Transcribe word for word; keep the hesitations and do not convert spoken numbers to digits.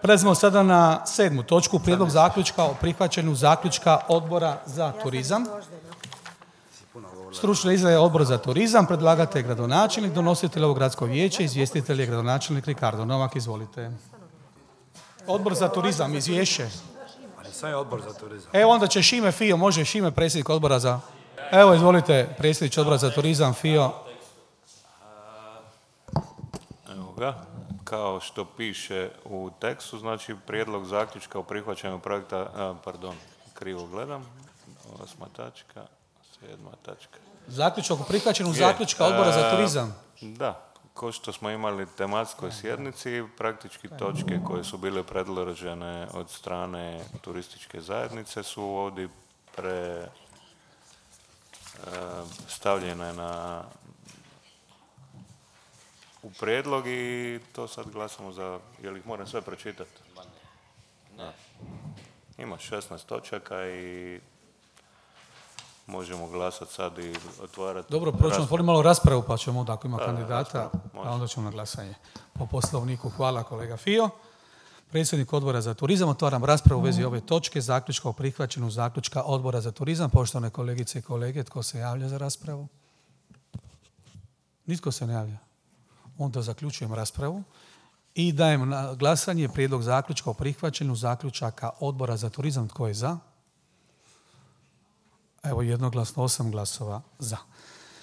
Prelazimo sada na sedmu točku, prijedlog zaključka o prihvaćanju zaključka Odbora za turizam. Stručna izrada Odbor za turizam, predlagatelj je gradonačelnik, donositelj ovog gradsko vijeće, izvjestitelj je gradonačelnik Ricardo Novak, izvolite. Odbor za turizam, izvješće. Sve je Odbor za turizam. Evo onda će Šime Fio, može Šime, predsjednik Odbora za... Evo, izvolite, predsjednik Odbora za turizam, Fio. Evo ga, kao što piše u tekstu, znači prijedlog zaključka o prihvaćanju projekta, a, pardon, krivo gledam, osma tačka, sedma tačka. Zaključak o prihvaćanju zaključka Odbora za turizam. Da, kao što smo imali tematskoj sjednici, praktički točke koje su bile predložene od strane turističke zajednice su ovdje pre stavljene na u prijedlog i to sad glasamo za, jel ih moram sve pročitati? Ne. Ima šesnaest točaka i možemo glasati sad i otvarati... Dobro, prvo ćemo otvoriti malo raspravu, pa ćemo onda ako ima da, kandidata, a onda ćemo na glasanje. Po poslovniku, hvala kolega Fio. Predsjednik Odbora za turizam, otvaram raspravu u vezi ove točke, zaključka o prihvaćanju zaključka Odbora za turizam. Poštovane kolegice i kolege, tko se javlja za raspravu? Nitko se ne javlja. Onda zaključujem raspravu i dajem na glasanje prijedlog zaključka o prihvaćanju zaključaka Odbora za turizam. Tko je za? Evo jednoglasno, osam glasova za.